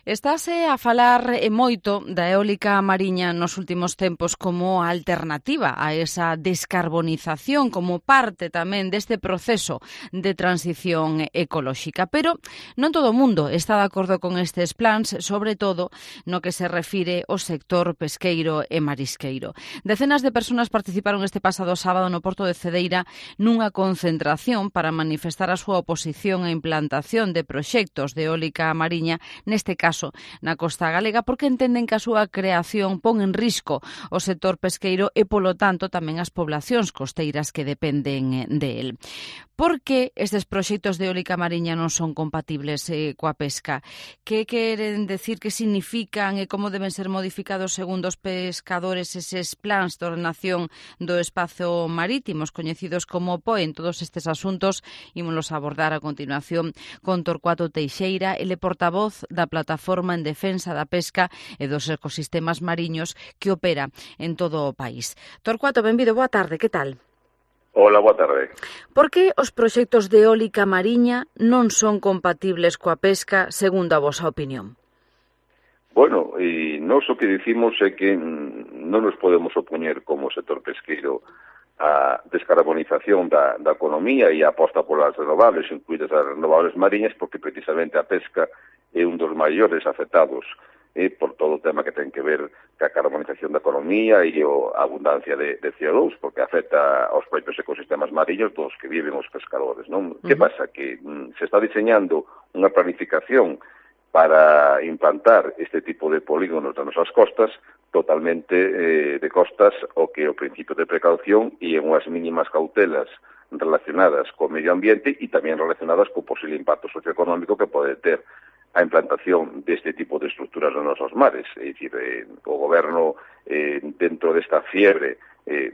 Estáse a falar moito da eólica mariña nos últimos tempos como alternativa a esa descarbonización, como parte tamén deste proceso de transición ecolóxica. Pero non todo o mundo está de acordo con estes plans, sobre todo no que se refire ao sector pesqueiro e marisqueiro. Decenas de persoas participaron este pasado sábado no Porto de Cedeira nunha concentración para manifestar a súa oposición á implantación de proxectos de eólica mariña, neste caso na costa galega, porque entenden que a súa creación pon en risco o sector pesqueiro e, polo tanto, tamén as poblacións costeiras que dependen de él. Por que estes proxectos de eólica mariña non son compatibles coa pesca? Que queren decir, que significan e como deben ser modificados segundo os pescadores eses plans de ordenación do espazo marítimo, coñecidos como POE? En todos estes asuntos ímolos abordar a continuación con Torcuato Teixeira, ele portavoz da Plataforma en Defensa da Pesca e dos Ecosistemas Mariños que opera en todo o país. Torcuato, benvido, boa tarde, que tal? Hola, boa tarde. Por que os proxectos de eólica mariña non son compatibles coa pesca, segundo a vosa opinión? Bueno, e nós o que dicimos é que non nos podemos opoñer como sector pesqueiro a descarbonización da economía e a aposta polas renovables, incluídas as renovables mariñas, porque precisamente a pesca é un dos maiores afectados por todo o tema que ten que ver ca carbonización da economía e a abundancia de CO2, porque afecta aos propios ecosistemas mariños dos que viven os pescadores, non? Que pasa? Que se está diseñando unha planificación para implantar este tipo de polígonos das nosas costas totalmente de costas o que o principio de precaución e en unhas mínimas cautelas relacionadas co medio ambiente e tamén relacionadas co posible impacto socioeconómico que pode ter a implantación deste tipo de estructuras nos nosos mares. É dicir, o goberno, dentro desta fiebre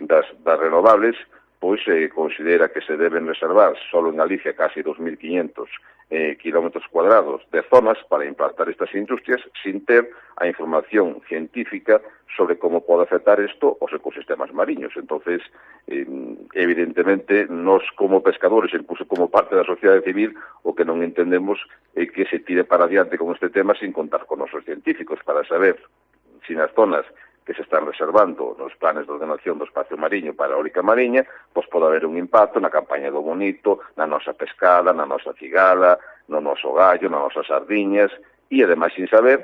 das renovables, pois considera que se deben reservar solo en Galicia casi 2.500 kilómetros cuadrados de zonas para implantar estas industrias sin ter a información científica sobre como pode afectar isto aos ecosistemas mariños. Entonces, evidentemente, nós como pescadores, incluso como parte da sociedade civil, o que non entendemos é que se tire para adiante con este tema sin contar con nosos científicos para saber se nas zonas que se están reservando nos planes de ordenación do espacio mariño para a eólica mariña, pois pode haber un impacto na campaña do bonito, na nosa pescada, na nosa cigala, no noso gallo, nas nosas sardiñas, e ademais sin saber,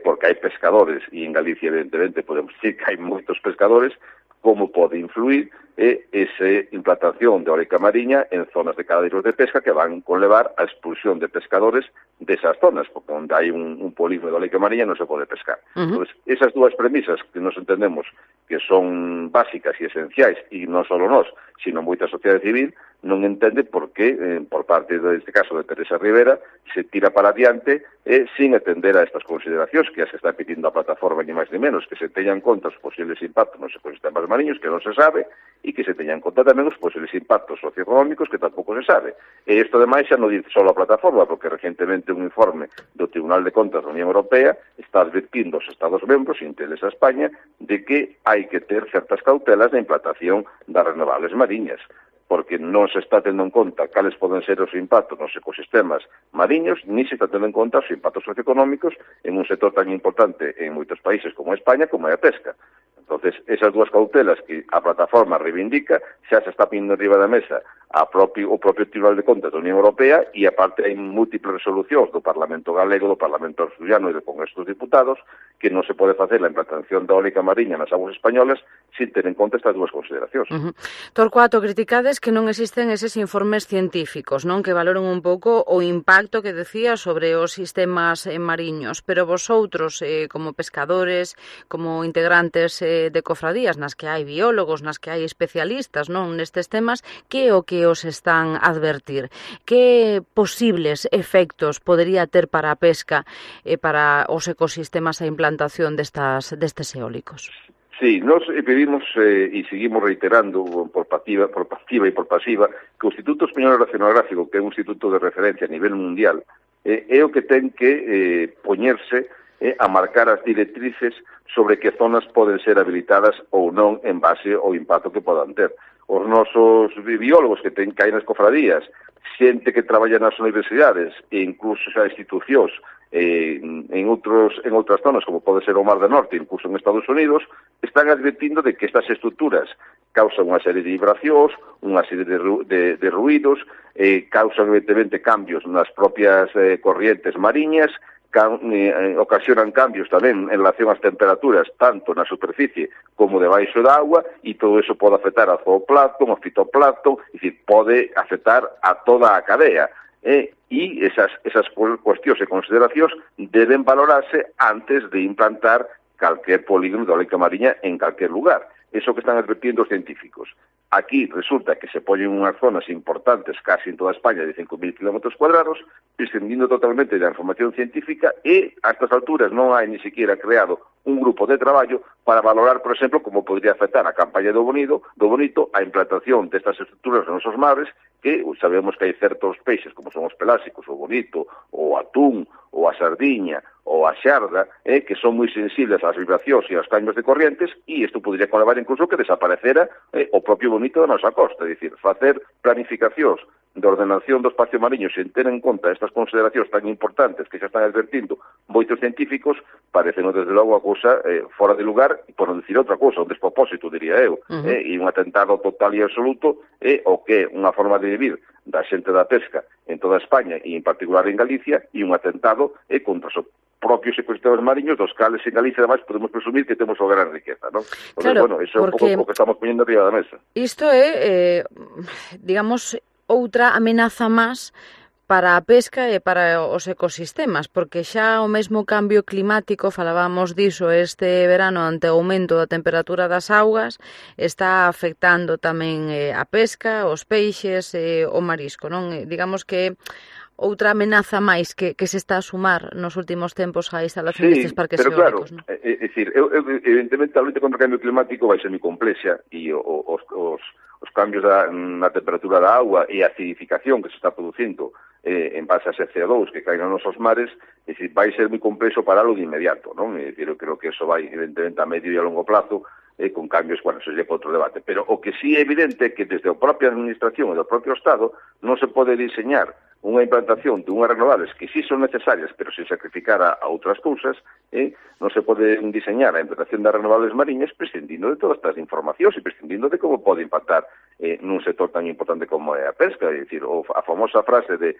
porque hai pescadores, e en Galicia evidentemente podemos dicir que hai moitos pescadores, como pode influir esa implantación de eólica mariña en zonas de cadeiros de pesca que van conlevar a expulsión de pescadores desas zonas, porque onde hai un polígono de eólica mariña non se pode pescar. Entón, esas dúas premisas que nos entendemos que son básicas e esenciais, e non só nós, sino moita sociedade civil, non entende por que, por parte deste caso de Teresa Rivera, se tira para adiante sin atender a estas consideracións que se está pedindo a plataforma ni máis ni menos, que se teñan en conta os posibles impactos nos ecosistemas mariños, que non se sabe, e que se teñan en conta tamén os posibles impactos socioeconómicos, que tampouco se sabe. E isto, ademais, xa non dice só a plataforma, porque recentemente un informe do Tribunal de Contas da Unión Europea está advertindo aos Estados membros, inteles a España, de que hai que ter certas cautelas na implantación das renovables mariñas, porque non se está tendo en conta cales poden ser os impactos nos ecosistemas mariños, ni se está tendo en conta os impactos socioeconómicos en un sector tan importante en moitos países como España, como é a pesca. Entonces, esas dúas cautelas que a plataforma reivindica xa se está pindo arriba da mesa o propio Tribunal de Contas da Unión Europea, e aparte hai múltiples resolucións do Parlamento Galego, do Parlamento Asturiano e do Congreso dos Diputados que non se pode facer a implantación da eólica mariña nas aguas españolas sin ter en conta estas dúas consideracións. Torcuato, criticades que non existen eses informes científicos, non, que valoren un pouco o impacto que decía sobre os sistemas mariños, pero vosotros, como pescadores, como integrantes de cofradías nas que hai biólogos, nas que hai especialistas, non, nestes temas, que o que os están a advertir? Que posibles efectos podería ter para a pesca e para os ecosistemas a implantación destes eólicos? Sí, nos pedimos e seguimos reiterando por activa e por pasiva que o Instituto Español Oceanográfico, que é un instituto de referencia a nivel mundial, é o que ten que poñerse a marcar as directrices sobre que zonas poden ser habilitadas ou non en base ao impacto que podan ter. Os nosos biólogos que hai nas cofradías, xente que traballa nas universidades e incluso xa institucións en outras zonas, como pode ser o Mar do Norte, incluso en Estados Unidos, están advertindo de que estas estruturas causan unha serie de vibracións, unha serie de ruídos, causan evidentemente cambios nas propias corrientes mariñas, ocasionan cambios tamén en relación ás temperaturas tanto na superficie como debaixo da agua, e todo eso pode afectar ao zooplancton, ao fitoplancton, é dicir, pode afectar a toda a cadea. E esas cuestións e consideracións deben valorarse antes de implantar calquer polígono de eólica mariña en calquer lugar. Eso que están advertindo os científicos. Aquí resulta que se poñen unhas zonas importantes casi en toda España de 5.000 kilómetros cuadrados, prescindindo totalmente da información científica, e a estas alturas non hai ni siquiera creado un grupo de traballo para valorar, por exemplo, como podría afectar a campaña do bonito a implantación destas estruturas nos nosos mares, que sabemos que hai certos peixes, como son os pelásicos, o bonito, o atún, ou a sardiña, ou a xarda, que son moi sensibles ás vibracións e aos cambios de corrientes, e isto podría conlevar incluso que desaparecera o propio bonito da nosa costa, é dicir, facer planificacións de ordenación do espacio mariño sen ter en conta estas consideracións tan importantes que xa están advertindo moitos científicos, parecen desde logo a cousa fora de lugar, e por non dicir outra cousa, un despropósito, diría eu, e un atentado total e absoluto, o que é unha forma de vivir da xente da pesca en toda España e en particular en Galicia, e un atentado contra os propios ecosistemas mariños, dos cales en Galicia ademais podemos presumir que temos a gran riqueza, non? Entonces, claro, bueno, eso é un pouco o que estamos poñendo arriba da mesa. Isto é, digamos, outra amenaza máis para a pesca e para os ecosistemas, porque xa o mesmo cambio climático, falábamos diso este verano ante o aumento da temperatura das augas, está afectando tamén a pesca, os peixes e o marisco, non? Digamos que outra amenaza máis que se está a sumar nos últimos tempos á instalación destes parques eólicos, non? É dicir, evidentemente a loita contra o cambio climático vai ser moi complexa, e os cambios na temperatura da agua e a acidificación que se está producindo en base a ese CO2 que caen nos nosos mares, é dicir, vai ser moi complexo paralo de inmediato, non? É dicir, eu creo que eso vai evidentemente a medio e a longo plazo, con cambios, bueno, eso é outro debate, pero o que sí é evidente é que desde a propia administración e do propio Estado non se pode diseñar unha implantación de unhas renovables que sí son necesarias, pero sin sacrificar a outras cousas, non se pode diseñar a implantación das renovables mariñas prescindindo de todas estas informacións e prescindindo de como pode impactar nun sector tan importante como é a pesca. É dicir, a famosa frase de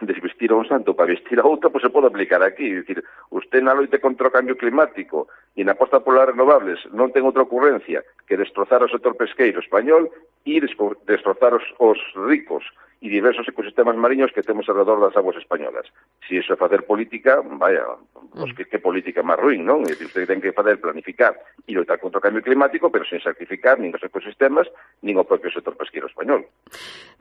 desvestir a un santo para vestir a outro, pues se pode aplicar aquí. É dicir, usted na loita contra o cambio climático e na aposta polas renovables non ten outra ocurrencia que destrozar o sector pesqueiro español e destrozar os ricos e diversos ecosistemas mariños que temos alrededor das aguas españolas. Si iso é facer política, vaya, pues que política máis ruín, non? É dicir, usted ten que fazer planificar e loitar contra o cambio climático, pero sen sacrificar nin os ecosistemas, nin o propio sector pesqueiro español.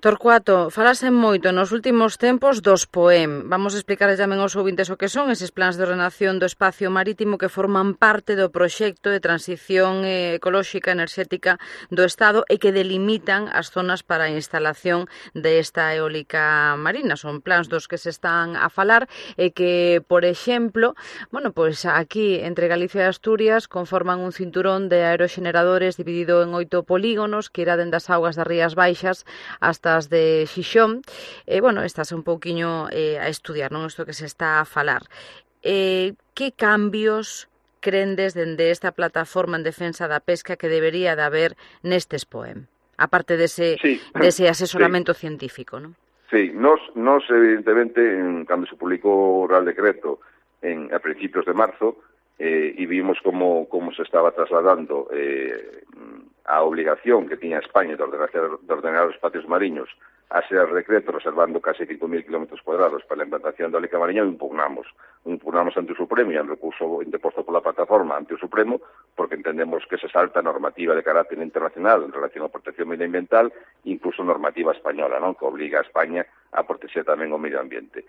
Torcuato, falase moito nos últimos tempos dos POEM. Vamos a explicar tamén aos ouvintes o que son eses plans de ordenación do espacio marítimo que forman parte do proxecto de transición ecolóxica enerxética do Estado e que delimitan as zonas para a instalación desta eólica marina. Son plans dos que se están a falar e que, por exemplo, bueno, pois aquí entre Galicia e Asturias conforman un cinturón de aeroxeneradores dividido en 8 polígonos que irá dende as augas das Rías Baixas hasta as de Xixón. Bueno, estas un pouquiño a estudiar, non? Isto que se está a falar. Que cambios crendes dende esta plataforma en defensa da pesca que debería de haber nestes POEM? Aparte dese asesoramento científico, non? Sí, nos evidentemente, cando se publicou o Real Decreto a principios de marzo, e vimos como se estaba trasladando a obligación que tiña España de ordenar os espacios mariños a ser decreto reservando casi 5.000 kilómetros cuadrados para a implantación da eólica mariña, o impugnamos ante o Supremo, e en recurso interposto pola plataforma ante o Supremo, porque entendemos que se salta normativa de carácter internacional en relación á protección medioambiental, incluso normativa española, non? Que obliga a España a protexer tamén o medio ambiente.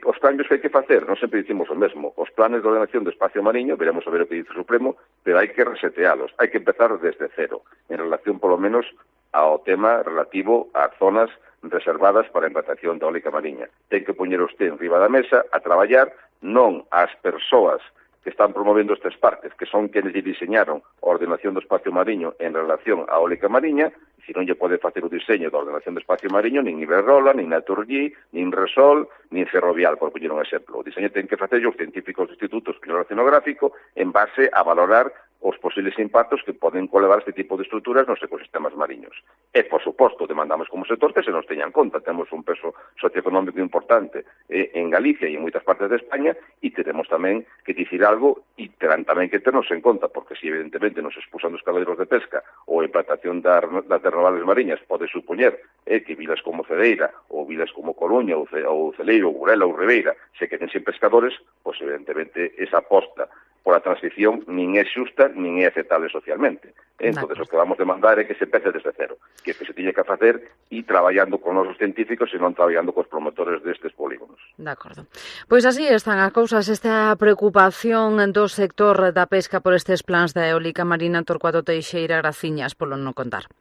Os cambios que hai que facer, non sempre dicimos o mesmo. Os planes de ordenación do espacio mariño, veremos a ver o que dice o Supremo, pero hai que resetealos, hai que empezar desde cero, en relación polo menos ao tema relativo ás zonas reservadas para a implantación da eólica mariña. Ten que poñer usted en riba da mesa a traballar non ás persoas que están promovendo estes parques, que son quenes lle diseñaron a ordenación do espacio mariño en relación á eólica mariña, e non lle pode facer o diseño da ordenación do espacio mariño nin Iberdrola, nin Naturgy, nin Resol, nin Ferrovial, por poñer un exemplo. O diseño ten que facer os científicos do Instituto Superior Oceanográfico en base a valorar os posibles impactos que poden colevar este tipo de estruturas nos ecosistemas mariños. E, por suposto, demandamos como sector que se nos teña en conta. Temos un peso socioeconómico importante en Galicia e en moitas partes de España e tenemos tamén que dicir algo e terán tamén que ternos en conta, porque se evidentemente nos expulsan dos caladeiros de pesca ou a implantación das renovables mariñas pode supoñer que vilas como Cedeira ou vilas como Coruña ou Celeiro, ou Burela ou Ribeira se queden sin pescadores, pois evidentemente esa aposta por a transición nin é xusta nin é aceptable socialmente. Entón, o que vamos demandar é que se pece desde cero, que se tiña que facer e traballando con os científicos e non traballando cos promotores destes polígonos. De acordo. Pois así están as cousas, esta preocupación do sector da pesca por estes plans da eólica marina. Torcuato Teixeira, graciñas polo non contar.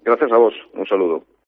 Gracias a vos, un saludo.